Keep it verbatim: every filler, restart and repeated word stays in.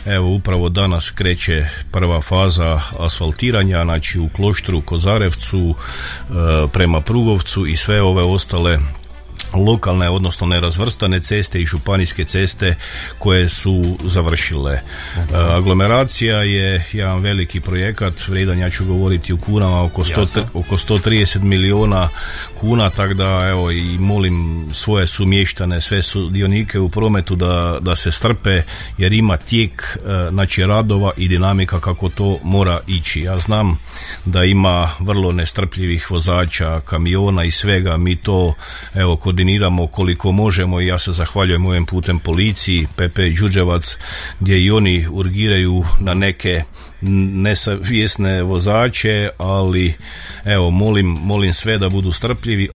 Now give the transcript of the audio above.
Evo, upravo danas kreće prva faza asfaltiranja, znači u Kloštru, Kozarevcu, prema Prugovcu i sve ove ostale lokalne, odnosno nerazvrstane ceste i županijske ceste koje su završile. Uh, aglomeracija je jedan veliki projekat, vrijedan, ja ću govoriti u kunama, oko, sto, oko sto trideset milijuna kuna, tako da evo i molim svoje sumještane, sve sudionike u prometu da, da se strpe, jer ima tijek uh, znači radova i dinamika kako to mora ići. Ja znam da ima vrlo nestrpljivih vozača, kamiona i svega, mi to evo koordiniramo koliko možemo i ja se zahvaljujem ovim putem policiji, P P Đurđevac, gdje i oni urgiraju na neke nesavjesne vozače, ali evo molim, molim sve da budu strpljivi.